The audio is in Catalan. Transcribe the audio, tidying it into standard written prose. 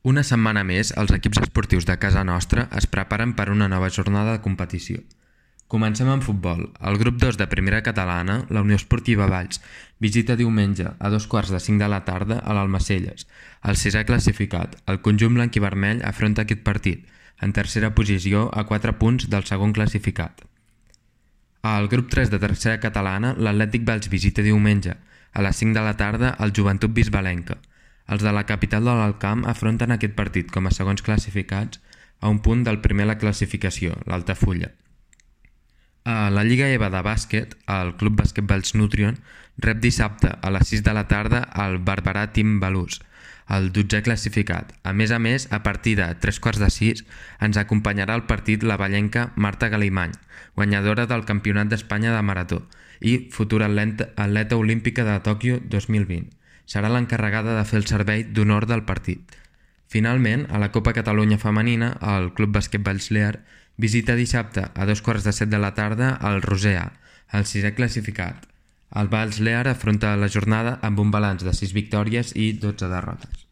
Una setmana més, els equips esportius de casa nostra es preparen per una nova jornada de competició. Comencem amb futbol. El grup 2 de Primera Catalana, la Unió Esportiva Valls, visita diumenge a 2:45 de la tarda a l'Almacelles. El sisè classificat, el conjunt blanc i vermell, afronta aquest partit, en tercera posició a 4 punts del segon classificat. Al grup 3 de Tercera Catalana, l'Atlètic Valls visita diumenge a les 5 de la tarda al Joventut Bisbalenca. Els de la capital de l'Alt Camp afronten aquest partit com a segons classificats a un punt del primer a la classificació, l'Altafulla. A la Lliga EVA de bàsquet, el Club Bàsquet Valls Nutrion rep dissabte a les 6 de la tarda el Barberà Team Balús, el 12è classificat. A més, a partir de 3:15 ens acompanyarà el partit la vallenca Marta Galimany, guanyadora del Campionat d'Espanya de Marató i futura atleta olímpica de Tòquio 2020. Serà l'encarregada de fer el servei d'honor del partit. Finalment, a la Copa Catalunya Femenina, el Club Bàsquet Valls Lear visita dissabte a 2:15 de la tarda al Roser, el 6è classificat. El Valls Lear afronta la jornada amb un balanç de 6 victòries i 12 derrotes.